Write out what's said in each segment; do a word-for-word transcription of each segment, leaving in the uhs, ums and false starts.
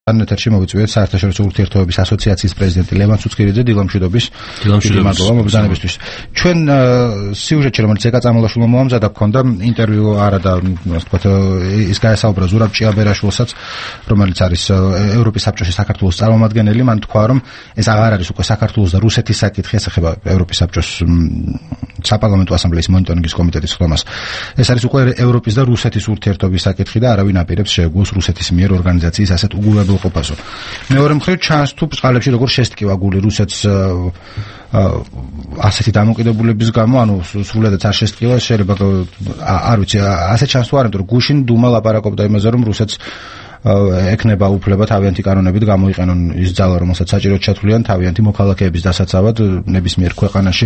ანეთერში მოვიწვიეთ საერთაშორისო ურთიერთობების ასოციაციის პრეზიდენტი ლევან ცუცქირიძე დილამშვიდობის მადლობა მოგზაურობისთვის. ჩვენ სიუჟეტში რომელიც ეკა წამალაშვილმა მოამზადა გქონდა ინტერვიუ არა და ასე ვთქვათ ის გაესაუბრა ზურაბ ჭიაბერაშვილსაც რომელიც არის ევროპის საბჭოში საქართველოს წარმომადგენელი. მან თქვა რომ ეს აღარ არის უკვე საქართველოს და რუსეთის საკითხი, ეს ეხება ევროპის საბჭოს საპარლამენტო ასამბლეის მონიტორინგის კომიტეტის ხდომას. ეს არის უკვე ევროპის და რუსეთის ურთიერთობის საკითხი და არავინ აპირებს შეეგუოს რუსეთის მიერ ორგანიზაციის ასეთ უგულებელ ყოფასო. მეორე მხრივ ჩანს თუ ბწყალებში როგორ შესტკივა გული რუსეთს ასეთი დამოკიდებულების გამო, ანუ სრულიადაც არ შესტკივა, შეიძლება არ ვიცი, ასე ჩანს თუ არა, იმიტომ რომ გუშინ დუმა ლაპარაკობდა იმაზე, რომ რუსეთს ეკნება უფლება თავიანთი კანონებით გამოიყენონ ის ძალა, რომელსაც საჭიროდ ჩათვლიან თავიანთი მოქალაქეების დასაცავად ნებისმიერ ქვეყანაში.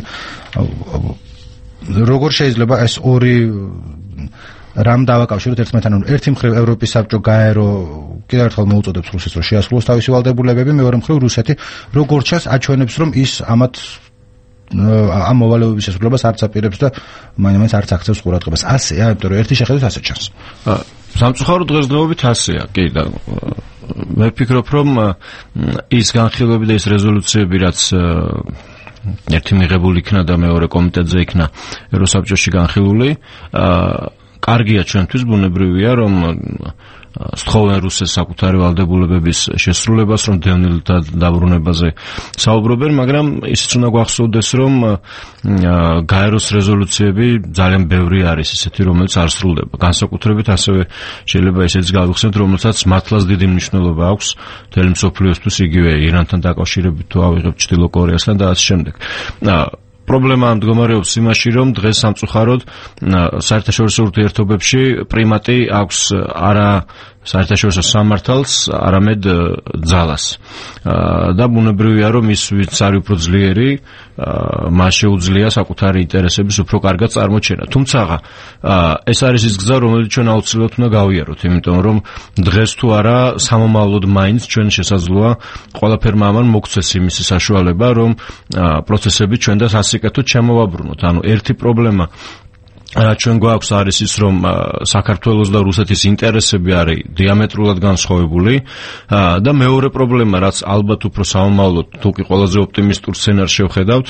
როგორ შეიძლება ეს ორი რამ დავაკავშიროთ ერთმანეთთან? ერთი მხრივ ევროპის საბჭო გაერო კიდევ ერთხელ მოუწოდებს რუსეთს რომ შეასრულოს თავისი ვალდებულებები, მეორე მხრივ რუსეთი როგორ ჩანს აჩვენებს რომ ის ამათ ამ მოვალეობის შესრულებას არც აპირებს და მაინც არც აქცევს ყურადღებას. ასეა, იმიტომ რომ ერთი შეხედვით ასე ჩანს. სამწუხაროდ დღესდღეობით ასეა, კი და მე ვფიქრობ რომ ის განხილვები და ის რეზოლუციები რაც ერთი მიღებული იქნა და მეორე კომიტეტზე იქნა ევროსაბჭოში განხილული, კარგია ჩვენთვის, ბუნებრივია რომ სთხოვენ რუსეთს საკუთარი ვალდებულებების შესრულებას, რომ დევნილ დაბრუნებაზე საუბრობენ, მაგრამ ისიც უნდა გვახსოვდეს, რომ გაეროს რეზოლუციები ძალიან ბევრი არის ისეთი, რომელიც არ სრულდება. განსაკუთრებით ასევე შეიძლება ისიც გავიხსენოთ, რომელსაც მართლაც დიდი მნიშვნელობა აქვს მთელი მსოფლიოსთვის, იგივე ირანთან დაკავშირებით თუ ავიღებთ ჩრდილო კორეასთან და ასე შემდეგ. პრობლემა მდგომარეობს იმაში, რომ დღეს სამწუხაროდ საერთაშორისო ურთიერთობებში პრიმატი აქვს არა საერთაშორისო სამართალს, არამედ ძალას. და ბუნებრივია, რომ ის ვინც არის უფრო ძლიერი, მას შეუძლია საკუთარი ინტერესების უფრო კარგად წარმოჩენა. თუმცა ეს არის ის გზა, რომელიც ჩვენ აუცილებლად უნდა გავიაროთ, იმიტომ რომ დღეს თუ არა სამომავლოდ მაინც ჩვენ შესაძლოა ყველაფერმა ამან მოგცეს იმის საშუალება, რომ პროცესები ჩვენ და სასიკეთოდ შემოვაბრუნოთ. ანუ ერთი პრობლემა რაც ჩვენ გვაქვს არის ის, რომ საქართველოს და რუსეთის ინტერესები არის დიამეტრულად განსხვავებული და მეორე პრობლემა, რაც ალბათ უფრო სამომავლოდ თუ კი ყველაზე ოპტიმისტურ სცენარს შევხედავთ,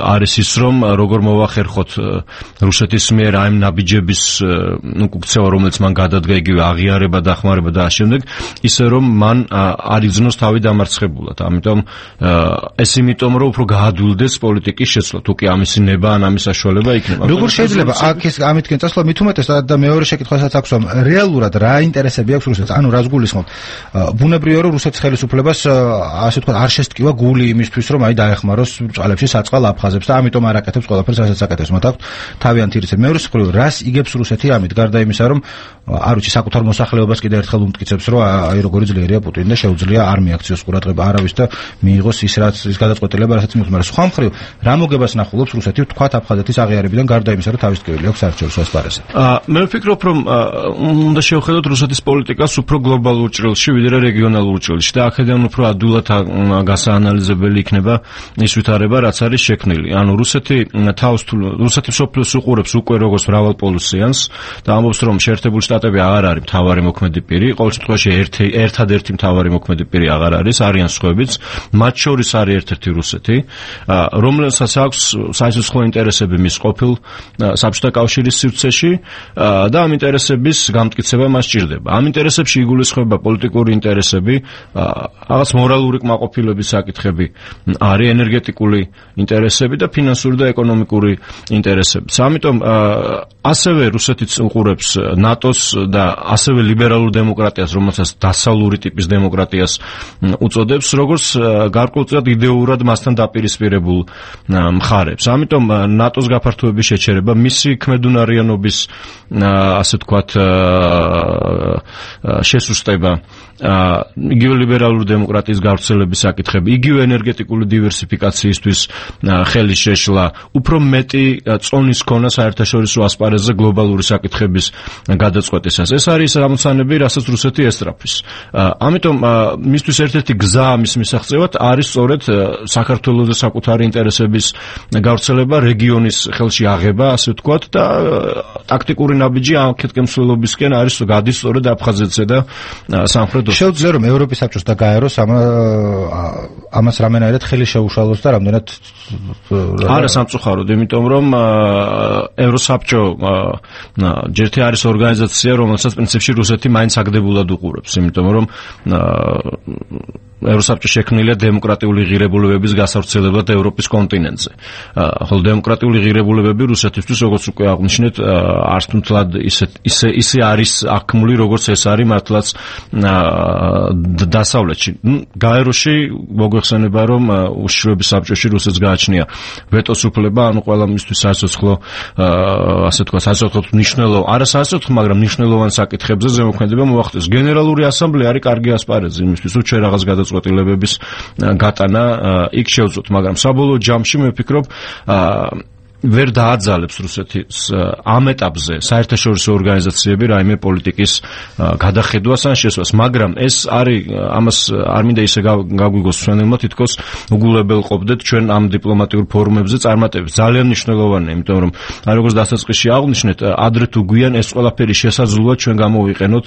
არის ის, რომ როგორ მოვახერხოთ რუსეთის მიერ აი ნაბიჯების უკუქცევა, რომელიც მან გადადგა, იგივე აღიარება, დახმარება და ამ შემდეგ, ისე რომ მან არ იგრძნოს თავი დამარცხებულად. ამიტომ ეს იმიტომ, რომ უფრო გაადვილდეს პოლიტიკის შეცვლა, თუ კი ამისი ნება ან ამის საშუალება იქნება. შეიძლება აქ ეს ამითკენ წასვლა მით უმეტეს და მეორე შეკითხვასაც აქვს, რომ რეალურად რა ინტერესები აქვს რუსეთს, ანუ რას გულისხმობ? ბუნებრივია, რომ რუსეთის ხელისუფლებას ასე ვთქვათ არ შესტკივა გული იმისთვის, რომ აი დაეხმაროს ბწყალებში საწყალ აფხაზებს და ამიტომ არ აკეთებს ყველაფერს, რასაც აკეთებს. მათ აქვს თავიანთი რიცხვი. მეორე მხრივ, რას იგებს რუსეთი ამით, გარდა იმისა, რომ არ ვიცი, საკუთარ მოსახლეობას კიდევ ერთხელ უმტკიცებს, რომ აი როგორი ძლიერია პუტინი და შეუძლია არ მიაქციოს ყურადღება არავის და მიიღოს ის რაც ის გადაწყვეტილება, რასაც მიიღოს. მაგრამ სხვა მხრივ, რა მოგებას ნახულობს რუსეთი თქვათ აფხაზეთის აღიარებიდან, გარდა იმისა, რომ თავის ტკივილი აქვს საერთაშორისო ასპარეზზე. მე ვფიქრობ, რომ უნდა შევხედოთ რუსეთის პოლიტიკას უფრო გლობალურ ჭრილში, ვიდრე რეგიონალურ ჭრილში და აქედან უფრო ადვილად გასაანალიზებელი იქნება ის ვითარება, რაც არის შექმნილი. ანუ რუსეთი თავს რუსეთი მსოფლიოს უყურებს უკვე როგორც მრავალპოლუსიანს და ამბობს, რომ შეერთებული შტატები აღარ არის მთავარი მოქმედი პირი, ყოველ შემთხვევაში ერთი ერთადერთი მთავარი მოქმედი პირი აღარ არის, არიან სხვაებიც, მათ შორის არის ერთ-ერთი რუსეთი, რომელსაც აქვს საერთაშორისო ინტერესები მის ყოფილ საბჭოთა კავშირის სივრცეში და ამ ინტერესების გამტკიცება მას სჭირდება. ამ ინტერესებში იგულისხმება პოლიტიკური ინტერესები, რაღაც მორალური კმაყოფილების საკითხები, არის ენერგეტიკული ინტერესები და ფინანსური და ეკონომიკური ინტერესები. ამიტომ ასევე რუსეთიც უყურებს ნატოს და ასევე ლიბერალურ დემოკრატიას, რომელსაც დასავლური ტიპის დემოკრატიას უწოდებს, როგორც გარკვეულწილად იდეურად მასთან დაპირისპირებულ მხარებს. ამიტომ ნატოს გაფართოების შეჩერება, მისი ქმედუნარიანობის ასე ვთქვათ შესუსტება, იგივე ლიბერალური დემოკრატიის გავრცელების საკითხები, იგივე ენერგეტიკული დივერსიფიკაციისთვის ხელის შეშლა, უფრო მეტი წონის ქონა საერთაშორისო ასპარეზზე გლობალური საკითხების გადაწყვეტისას. ეს არის ამოცანები, რასაც რუსეთი ესწრაფვის. ამიტომ მისთვის ერთ-ერთი გზა ამის მისაღწევად არის სწორედ საქართველოს საკუთარი ინტერესების გავრცელება, რეგიონის ხელში აღება, ასე ვთქვათ და ტაქტიკური ნაბიჯი ამ კეთკემსვლელობისკენ არის გადის სწორედ აფხაზეთზე და სამხრეთ შეუძლია რომ ევროპის საბჭოს და გაეროს ამ ამას რამენაირად ხელი შეუშალოს და რამდენად არა სამწუხაროდ, იმიტომ რომ ევროსაბჭო ჯერთი არის ორგანიზაცია, რომელსაც პრინციპში რუსეთი მაინც აგდებულად უყურებს, იმიტომ რომ ევროსაბჭო შექმნილია დემოკრატიული ღირებულებების გასავრცელებლად ევროპის კონტინენტზე. ხოლო დემოკრატიული ღირებულებები რუსეთისთვის, როგორც უკვე აღნიშნეთ, არც თუნთლად ისე ისე ისე არის აქმული, როგორც ეს არის მართლაც დასავლეთში. გაეროში მოგვეხსენება, რომ უშიშროების საბჭოში რუსეთს გააჩნია ვეტოს უფლება, ანუ ყველა მისთვის სასოცხლო, ასე თქვა, სასოცხლო მნიშვნელო, არა სასოცხლო, მაგრამ მნიშვნელოვან საკითხებზე ზემოქმედება მოახდენს. გენერალური ასამბლეა არის კარგი ასპარეზი იმისთვის, რომ ჩვენ რაღაც გადაწყვეტილებების გატანა იქ შევწოთ, მაგრამ საბოლოო ჯამში მე ვფიქრობ, ვერ დააძალებს რუსეთის ამ ეტაპზე საერთაშორისო ორგანიზაციები რაიმე პოლიტიკის გადახედვას ან შესვას, მაგრამ ეს არის ამას არ მინდა ისე გაგვიგოს ჩვენებმა, თითქოს უგულებელყოფდეთ ჩვენ ამ დიპლომატიურ ფორუმებზე წარმატებით. ძალიან მნიშვნელოვანია, იმიტომ რომ აი როგორც დასაწყისში აღნიშნეთ, ადრე თუ გვიან ეს ყველაფერი შესაძლოა ჩვენ გამოვიყენოთ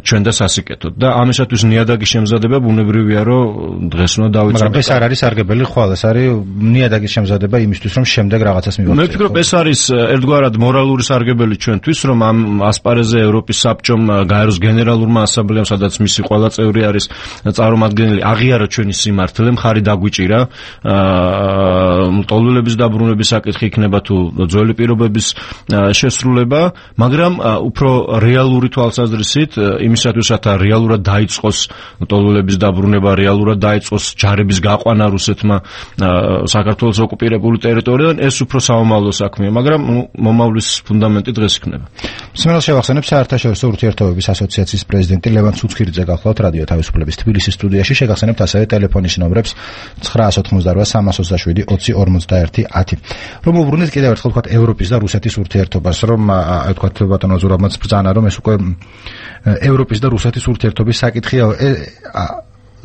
ჩვენ და სასიკეთოდ და ამისათვის ნიადაგის შემზადება ბუნებრივია, რომ დღეს უნდა დავიწყოთ. მაგრამ ეს არ არის სარგებელი ხვალ, ეს არის ნიადაგის შემზადება იმისთვის, რომ შემდეგ რაღაცას მე ვფიქრობ, ეს არის ერთგვარად მორალური სარგებელი ჩვენთვის, რომ ამ ასპარეზზე ევროპის საბჭომ, გაეროს გენერალურმა ასამბლეამ, სადაც მისი ყველა წევრი არის წარმომადგენელი, აღიარა ჩვენი სიმართლე, მხარი დაგვიჭირა, ტოლულების დაბრუნების საკითხი იქნება თუ ძველი პირობების შესრულება, მაგრამ უფრო რეალური თვალსაზრისით, იმისათვის, რათა რეალურად დაიწყოს ტოლულების დაბრუნება, რეალურად დაიწყოს ჯარების გაყვანა რუსეთმა საქართველოს ოკუპირებული ტერიტორიიდან, ეს უფრო საომავლო საქმეა, მაგრამ მომავლის ფუნდამენტი დღეს იქნება. მსმენელს შევახსენებ საერთაშორისო ურთიერთობების ასოციაციის პრეზიდენტი ლევან ცუცქირიძე გახლავთ რადიო თავისუფლების თბილისის სტუდიაში. შეგახსენებთ ასევე ტელეფონის ნომრებს ცხრა ოცდაოთხმოცდარვა სამას ოცდაშვიდი ოცი ორმოცდაერთი ათი. რომ უბრუნდეთ კიდევ ერთხელ ვთქვათ ევროპის და რუსეთის ურთიერთობას, რომ აი ვთქვათ ბატონო ზურაბმაც ბრძანა, რომ ეს უკვე ევროპის და რუსეთის ურთიერთობის საკითხია.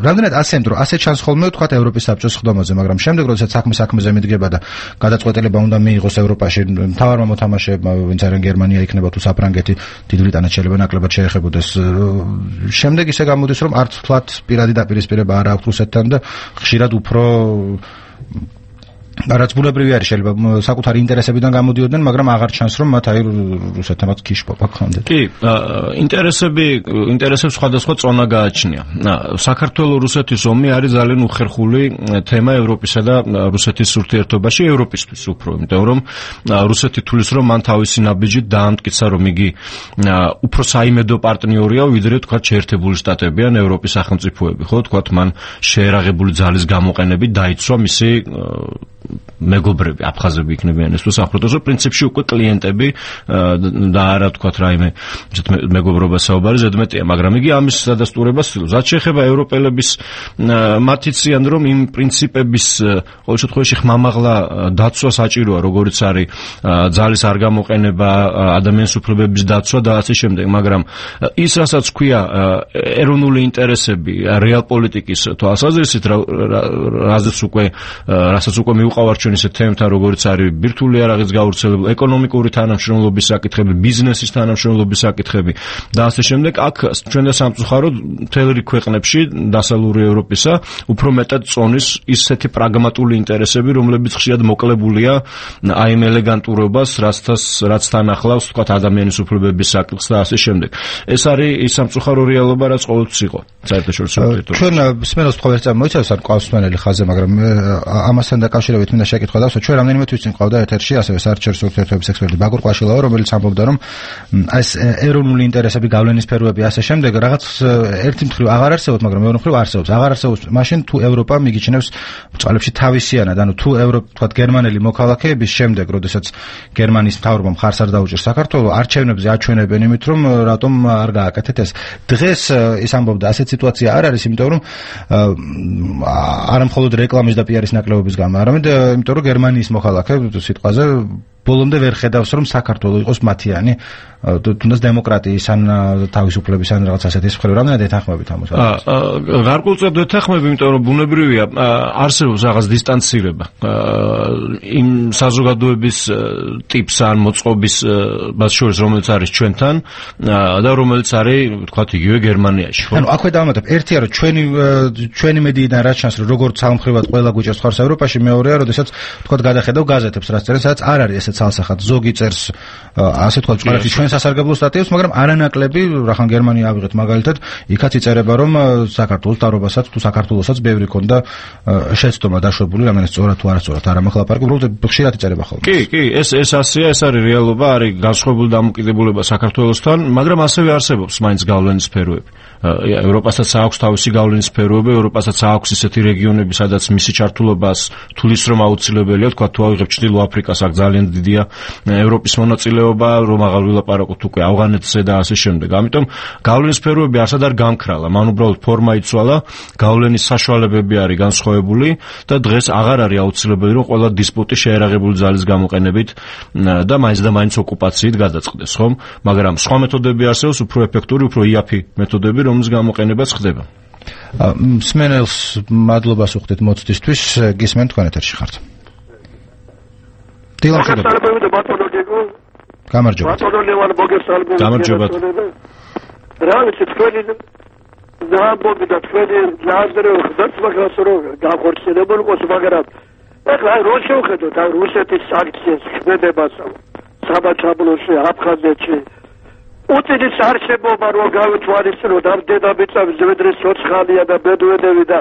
რამდენად ასემთ, რომ ასე ჩანს ხოლმე ვთქვათ ევროპის საბჭოს ხდომაზე, მაგრამ შემდეგ როდესაც საქმე საქმეზე მიდგება და გადაწყვეტილება უნდა მიიღოს ევროპაში, მთავარმა მოთამაშეებმა, ვინც არიან გერმანია იქნება თუ საფრანგეთი, დიდ ბრიტანეთს შეიძლება ნაკლებად შეეხებოდეს. შემდეგ ისე გამოდის, რომ არც ვთქვათ პირადი დაპირისპირება არ აქვს რუსეთთან და ხშირად უფრო რაც ბუნებრივი არის, შეიძლება საკუთარი ინტერესებიდან გამოდიოდნენ, მაგრამ აღარ ჩანს, რომ მათ აი რუსეთთანაც ქიშპობა გქონდეთ. კი, ინტერესები, ინტერესებს სხვადასხვა წონა გააჩნია. საქართველო-რუსეთის ომი არის ძალიან უხერხული თემა ევროპისა და რუსეთის ურთიერთობაში, ევროპისთვის უფრო, იმიტომ რომ რუსეთი თulis, რომ მან თავისი ნაბიჯით დაამტკიცა, რომ იგი უფრო საიმედო პარტნიორია, ვიდრე თქვათ შეერთებული შტატები ან ევროპის სახელმწიფოები, ხო, თქვათ მან შეერაღებული ძალის გამოყენებით დაიცვა მისი მეგობრები, აფხაზები იქნებიან ეს თუ საფრთხეს, პრინციპში უკვე კლიენტები და არა თქვათ რაიმე მეგობრობა საუბარი ზედმეტია, მაგრამ იგი ამის სადასტურებას ცდილობს. რაც შეეხება ევროპელების მათ იციან, რომ იმ პრინციპების ყოველ შემთხვევაში ხმამაღლა დაცვა საჭიროა, როგორც არის ძალის არ გამოყენება, ადამიანის უფლებების დაცვა და ასე შემდეგ, მაგრამ ის რასაც ქვია ეროვნული ინტერესები რეალ პოლიტიკის თვალსაზრისით, რაზეც უკვე რასაც უკვე მიუყავართ ჩვენ ისეთ თემებთან, როგორც არის ბირთვული არაღის გავრცელება, ეკონომიკური თანამშრომლობის საკითხები, ბიზნესის თანამშრომლობის საკითხები და ასე შემდეგ. აქ ჩვენ და სამწუხაროდ მთელ რიგ ქვეყნებში დასავლური ევროპისა უფრო მეტად წონის ისეთი პრაგმატული ინტერესები, რომლებიც ხშირად მოკლებულია აი ამ ელეგანტურობას, რაცაც რაც თან ახლავს თქვათ ადამიანის უფლებების საკითხს და ასე შემდეგ. ეს არის ის სამწუხარო რეალობა, რაც ყოველთვის იყო საერთაშორისო ურთიერთობებში. ჩვენ მსმენელს თქვა ეს მოიცავს არ ყავს მსმენელი ხაზზე, მაგრამ ამასთან დაკავშირებით მინდა შეკითხვა დავსვა. ჩვენ რამდენიმე თვის წინ ყავდა ეთერში ასევე საერთაშორისო ურთიერთობების ექსპერტი ბაგურ ყვაშილავა, რომელიც ამბობდა, რომ ეს ეროვნული ინტერესები, გავლენის სფეროები ასე შემდეგ რაღაც ერთი მხრივ აღარ არსებობს, მაგრამ მეორე მხრივ არსებობს. აღარ არსებობს მაშინ თუ ევროპა მიგიჩნევს ბრძოლებში თავისიანად, ანუ თუ ევროპა თქვათ გერმანელი მოქალაქეების შემდეგ, როდესაც გერმანიის მთავრობამ მხარს არ დაუჭერს საქართველოს, არჩევნებზე აჩვენებენ იმით, რომ რატომ არ გააკეთეთ ეს. დღეს ის ამბობდა, ასეთ სიტუაცია არ არის, იმიტომ რომ არა მხოლოდ რეკლამის და პიარის ნაკლებობის გამო, არამედ იმიტომ რომ გერმანიის მოქალაქე სიტყვაზე ბოლომდე ვერ ხედავს რომ საქართველოს იყოს მათიანი თუნდაც დემოკრატიის ან თავისუფლების ან რაღაც ასეთი მხრივ რამდენად ეთანხმებით ამას? აა გარკვეულწილად ეთანხმები, იმიტომ რომ ბუნებრივია არსებობს რაღაც დისტანცირება იმ საზოგადოების ტიპს ან მოწყობის მას შორის რომელიც არის ჩვენთან და რომელიც არის თქვათ იგივე გერმანიაში. ანუ აქვე დავამატებ, ერთია რომ ჩვენი ჩვენი მედიიდან რაც ჩანს რომ როგორც სამხრივად ყველა გვიჭერს ხარს ევროპაში, მეორეა როდესაც თქვათ გადახედავ გაზეთებს რაც წერენ, სადაც არ არის ესეც ალსახად ზოგი წერს ასე თქვათ ჭყარაში ჩვენ სასარგებლო სტატიებს, მაგრამ არანაკლები, რახან გერმანია ავიღეთ მაგალითად, იქაც იწერება რომ საქართველოს დარობასაც თუ საქართველოსაც ბევრი ქონდა შეცდომა დაშვებული, რამდენად სწორად თუ არასწორად არ ამახლაპარაკი, უბრალოდ ხშირად იწერება ხოლმე. კი, კი, ეს ეს ასეა, ეს არის რეალობა, არის განსხვავებული დამოკიდებულება საქართველოსთან, მაგრამ ასევე არსებობს მაინც გავლენის სფეროები. ევროპასაც აქვს თავისი გავლენის სფეროები, ევროპასაც აქვს ისეთი რეგიონები, სადაც მისი ჩართულობას თulis რომ აუცილებელია, თქვა თუ ავიღებ ჩრდილო აფრიკას, აქ ძალიან დიდია ევროპის მონაწილეობა, რომ აღარ ვილაპარაკოთ უკვე ავღანეთზე და ასე შემდეგ. ამიტომ გავლენის სფეროები არსად არ გამქრალა, მან უბრალოდ ფორმა იცვალა, გავლენის საშუალებები არის განსხვავებული და დღეს აღარ არის აუცილებელი რომ ყველა დისპუტი შეერაღებული ძალის გამოყენებით და მაინც და მაინც ოკუპაციით გადაწყდეს, ხომ? მაგრამ სხვა მეთოდები არსებობს, უფრო ეფექტური, უფრო იაფი მეთოდები, რომლის გამოყენებაც ხდება. მსმენელს მადლობას უხდით მოცდისთვის, გისმენთ თქვენ ეთერში ხართ. დილამშვიდობა. გამარჯობა. გამარჯობა. რა ვიცი თქვენი ზამბობი და თქვენი ლაზერე ხდაც მაგას რო გახორციელებულ ყოს მაგრამ ეხლა რო შევხედოთ ამ რუსეთის სანქციებს ქმედებას საბაჩაბლოში აფხაზეთში პუტინის არსებობა რო გავითვალისწინოთ ამ დედამიწაზე ზედრეს ცოცხალია და ბედვედევი და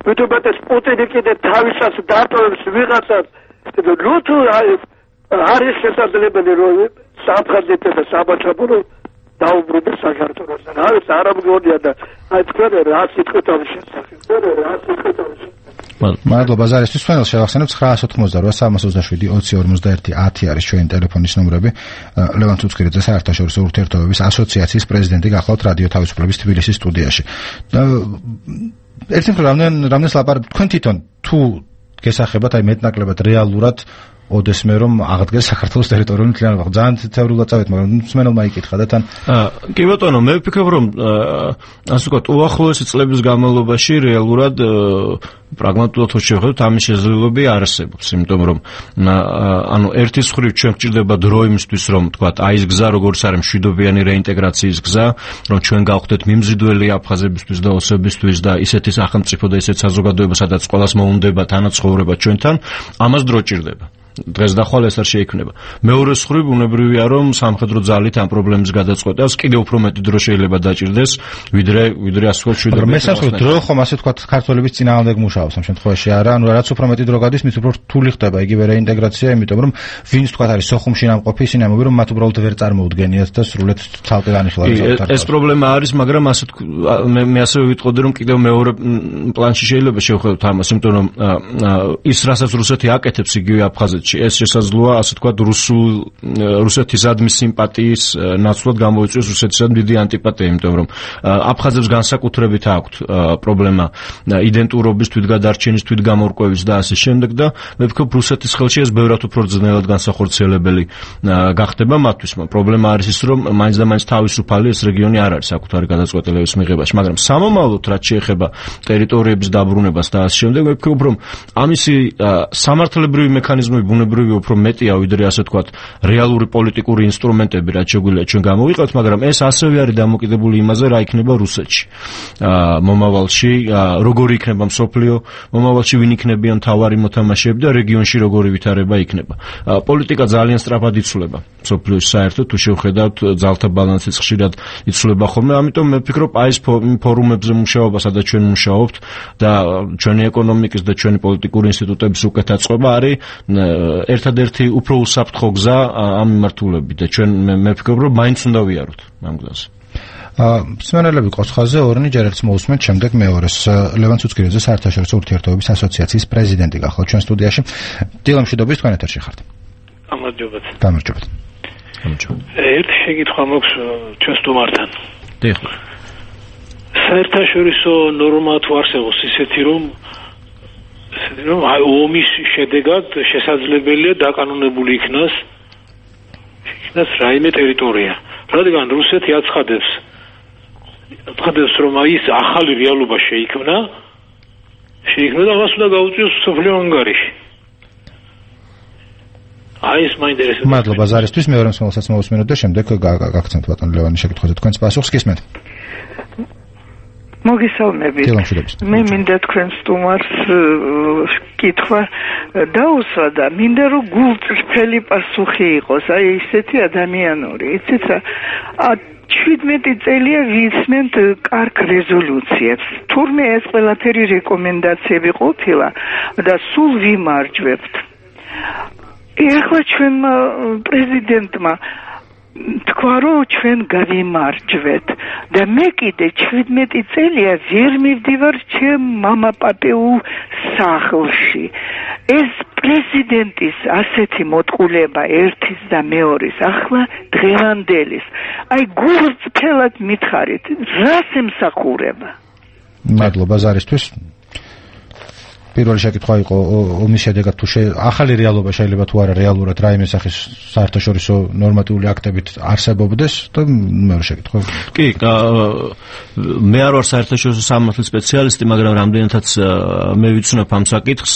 ვიტუბეტეს პუტინი კიდე თავისას დატოვებს ვიღაცას ნუ თუ არის შესაძლებელი რომ საფხაზეთსა და საბაჩაბლო დაუბრუნდეს საქართველოს. რა არის არ ამგონია და აი თქვენ რა სიტყვით ამ შესახებ. რა სიტყვით ამ შესახებ. მადლობა ზარისთვის. თქვენს შევახსენებ ცხრაას ოცდაოთხმოცდაოთხ სამას ოცდაშვიდი ოცი ორმოცდაერთი ათი არის ჩვენი ტელეფონის ნომრები. ლევან ცუცქირიძე საერთაშორისო ურთიერთობების ასოციაციის პრეზიდენტი გახლავთ რადიო თავისუფლების თბილისის სტუდიაში. ერთი მხრივ რამდენს ლაპარაკობთ თქვენ თვითონ თუ გესახებათ აი მეტნაკლებად რეალურად ოდესმე რომ აღდგეს საქართველოს ტერიტორიული მთლიანობა. ძალიან თეორიულად წავით, მაგრამ მსმენელმა იკითხა და თან კი ბატონო, მე ვფიქრობ რომ ასე ვთქვათ, უახლოესი წლების განმავლობაში რეალურად პრაგმატულად თუ შევხედოთ, ამის შესაძლებლობები არსებობს, იმიტომ რომ ანუ ერთის მხრივ ჩვენ გვჭირდება დრო იმისთვის, რომ ვთქვათ, აი ეს გზა როგორც არის მშვიდობიანი რეინტეგრაციის გზა, რომ ჩვენ გავხდეთ მიმზიდველი აფხაზებისთვის და ოსებისთვის და ისეთი სახელმწიფო და ისეთი საზოგადოება, სადაც ყველას მოუნდება თანაცხოვრება ჩვენთან, ამას დრო ჭირდება. დღეს და ხვალ ეს არ შეიქმნება. მეორე მხრივ ბუნებრივია რომ სამხედრო ძალით ამ პრობლემის გადაწყვეტას კიდევ უფრო მეტი დრო შეიძლება დაჭირდეს, ვიდრე ვიდრე ასე ვთქვათ შვიდობრივი. მაგრამ მესამე დრო ხომ ასე ვთქვათ ქართველების წინააღმდეგ მუშაობს ამ შემთხვევაში არა, ანუ რაც უფრო მეტი დრო გადის, მით უფრო რთული ხდება იგივე რეინტეგრაცია, იმიტომ რომ ვინც ვთქვათ არის სოხუმში ნამყოფი, ისინი ამბობენ რომ მათ უბრალოდ ვერ წარმოუდგენიათ და სრულად ცალკე განიხილავენ. ეს პრობლემა არის, მაგრამ ასე მე მე ასევე ვიტყოდი რომ კიდევ მეორე პლანში შეიძლება შევხედოთ ამას, იმიტომ რომ ის რასაც რუსეთი აკეთებს იგივე აფხაზეთში ეს შესაძლოა ასე ვთქვათ რუსულ რუსეთისადმი სიმპათიის ნაცვლად გამოიწვიოს რუსეთისადმი დიდი ანტიპათია, იმიტომ რომ აფხაზებს განსაკუთრებით აქვთ პრობლემა იდენტურობის თვითგადარჩენის, თვითგამორკვევის და ასე შემდეგ და მე ვფიქრობ რუსეთის ხელში ეს ბევრად უფრო ძნელად განსახორციელებელი გახდება მათთვის. პრობლემა არის ის, რომ მაინც და მაინც თავისუფალი ეს რეგიონი არ არის საკუთარი გადაწყვეტილების მიღებაში, მაგრამ სამომავლოდ რაც შეეხება ტერიტორიების დაბრუნებას და ასე შემდეგ, მე ვფიქრობ რომ ამისი სამართლებრივი მექანიზმები ბუნებრივი უფრო მეტია ვიდრე ასე ვთქვათ რეალური პოლიტიკური ინსტრუმენტები რაც შეგვიძლია ჩვენ გამოვიყავთ, მაგრამ ეს ასევე არის დამოკიდებული იმაზე რა იქნება რუსეთში მომავალში, როგორი იქნება მსოფლიო მომავალში, ვინ იქნებიან მთავარი მოთამაშეები და რეგიონში როგორი ვითარება იქნება. პოლიტიკა ძალიან სწრაფად იცვლება მსოფლიოში საერთოდ თუ შევხედავთ ძალთა ბალანსიც ხშირად იცვლება ხოლმე, ამიტომ მე ვფიქრობ აი ეს ფორუმებზე მუშაობა, სადაც ჩვენ მუშაობთ და ჩვენი ეკონომიკის და ჩვენი პოლიტიკური ინსტიტუტების უკეთ აწყობა არის ერთადერთი უფრო უსაფრთხო გზა ამ მიმართულებით და ჩვენ მე ვფიქრობ რომ მაინც უნდა ვიაროთ ამ გზაზე. მსმენელები კოცხაზე ორნი ჯერ ერთს მოусმენთ, შემდეგ მეორეს. ლევან ცუცქირიძე საერთაშორისო ურთიერთობების ასოციაციის პრეზიდენტი გახლავთ ჩვენ სტუდიაში. დილამშვიდობის, თქვენ ეთერში ხართ. გამარჯობათ. გამარჯობათ. გამარჯობა. ერთი შეკითხვა მაქვს ჩვენ სტუმართან. დიახ. საერთაშორისო ნორმა თუ არსებობს ისეთი რომ რომ ომის შედეგად შესაძლებელია დაკანონებული იქნას იქნას რაიმე ტერიტორია. რადგან რუსეთი აცხადებს აცხადებს რომ ის ახალი რეალობა შეიქმნა, შეიქმნა და მას უნდა გაუწიოს სოფლიო ანგარიში. აი ეს მაინტერესებს. მადლობა ზარისთვის, მეორე მსმენელსაც მოვუსმინოთ და შემდეგ გაგაცნობთ ბატონ ლევანის შეკითხვაზე თქვენს პასუხს გისმენთ. მოგესალმებით. მე მინდა თქვენ სტუმარს კითხვა დაუსვა და მინდა რომ გულწრფელი პასუხი იყოს, აი ესეთი ადამიანური. იცით რა, შვიდმეტი წელია ვიცმენთ კარგ რეზოლუციებს. თურმე ეს ყველაფერი რეკომენდაციები ყოფილა და სულ ვიმარჯვებთ. ეხლა ჩვენმა პრეზიდენტმა თქვა რომ ჩვენ გავიმარჯვეთ და მე კიდე შვიდმეტი წელია ვერ მივდივარ ჩემ მამაპატეულ სახლში. ეს პრეზიდენტის ასეთი მოტყულება ერთის და მეორის ახლა დღევანდელის. აი გულწრფელად მითხარით, რას ემსახურება? მადლობა ზარისთვის. პირველი შეკითხვა იყო ომის შედეგად თუ ახალი რეალობა შეიძლება თუ არა რეალურად რაიმე სახის საერთაშორისო ნორმატიული აქტებით არსებობდეს და მეორე შეკითხვა. კი, მე არ ვარ საერთაშორისო სამართლის სპეციალისტი, მაგრამ რამდენადაც მე ვიცნობ ამ საკითხს,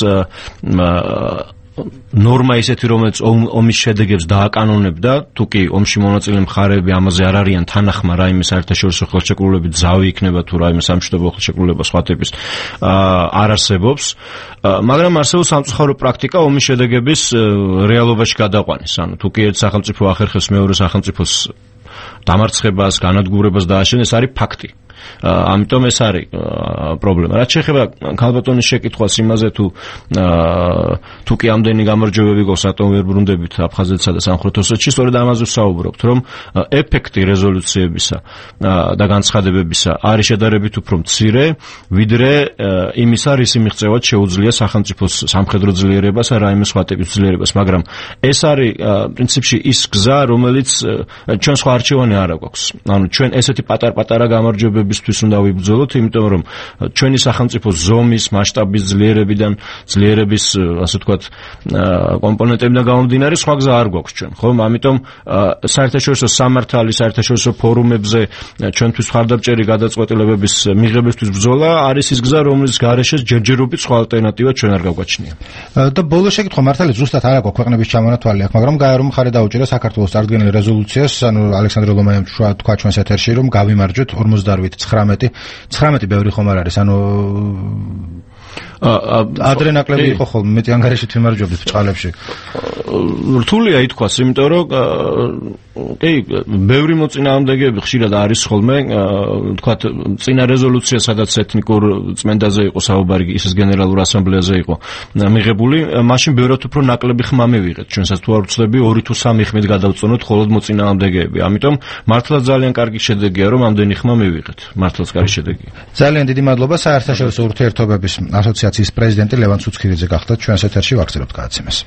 ნორმა ისეთი, რომელიც ომის შედეგებს დააკანონებდა, თუ კი ომში მონაწილე მხარეები ამაზე არ არიან თანახმა რაიმე საერთაშორისო ხელშეკრულებით ზავი იქნება თუ რაიმე სამშვიდობო ხელშეკრულება სხვა ტიპის არ არსებობს, მაგრამ არსებობს სამწუხარო პრაქტიკა ომის შედეგების რეალობაში გადაყვანის. ანუ თუ კი ერთ სახელმწიფო ახერხებს მეორე სახელმწიფოს დამარცხებას, განადგურებას დააშენეს, არის ფაქტი. ამიტომ ეს არის პრობლემა. რაც შეეხება ქალბატონის შეკითხვას იმაზე თუ თუ კი ამდენი გამარჯვებები გვაქვს რატომ ვერ ბრუნდებით აფხაზეთსა და სამხრეთ ოსეთში, სწორედ ამაზე ვსაუბრობთ, რომ ეფექტი რეზოლუციებისა და განცხადებებისა არის შედარებით უფრო მცირე, ვიდრე იმისა, რისი მიღწევად შეუძლია სახელმწიფოს სამხედრო ძლიერებას ან რაიმე სხვა ტიპის ძლიერებას, მაგრამ ეს არის პრინციპში ის გზა, რომელიც ჩვენ სხვა არჩევანი არ აქვს. ანუ ჩვენ ესეთი პატარ-პატარა გამარჯვებები თვის უნდა ვიბრძოლოთ, იმიტომ რომ ჩვენი სახელმწიფო ზომის, მასშტაბის ძლიერებიდან, ძლიერების, ასე ვთქვათ, კომპონენტებიდან გამომდინარე, სხვა გზა არ გვაქვს ჩვენ, ხო? ამიტომ საერთაშორისო სამართალი, საერთაშორისო ფორუმებზე ჩვენთვის მხარდამჭერი გადაწყვეტილებების მიღებისთვის ბრძოლა არის ის გზა, რომლის გარეშეც ჯერჯერობით სხვა ალტერნატივა ჩვენ არ გავგვაჩნია. და ბოლო შეკითხვა მართალია ზუსტად არ აქვს ქვეყნების ჩამონათვალი აქვს, მაგრამ გაიარომ მხარე დაუჭირა საქართველოს წარდგენილ რეზოლუციას, ანუ ალექსანდრე ლომაიამ თქვა ჩვენს ეთერში, რომ გავიმარჯვეთ ორმოცდაოთხ ცხრამეტი ცხრამეტი ბევრი ხომ არ არის, ანუ ადრე ნაკლები იყო ხოლმე, მეტი ანგარიში თვიმარჯვებდით ბჭყალებში. რთულია ითქვას, იმიტომ რომ კი, ბევრი მოწინააღმდეგეები ხშირად არის ხოლმე, ვთქვათ, წინა რეზოლუცია, სადაც ეთნიკურ წმენდაზე იყო საუბარი, ისეს გენერალურ ასამბლეაზე იყო მიღებული, მაშინ ბევრად უფრო ნაკლები ხმა მივიღეთ. ჩვენსაც თუ არ ვცდები, ორი თუ სამი ხმით გადავწონოთ მხოლოდ მოწინააღმდეგეები. ამიტომ მართლაც ძალიან კარგი შედეგია, რომ ამდენი ხმა მივიღეთ. მართლაც კარგი შედეგია. ძალიან დიდი მადლობა საერთაშორისო ურთიერთობების ასოციაციის პრეზიდენტი ლევან ცუცქირიძე გახდათ ჩვენს ეთერში, ვაგრძელებთ გადაცემას.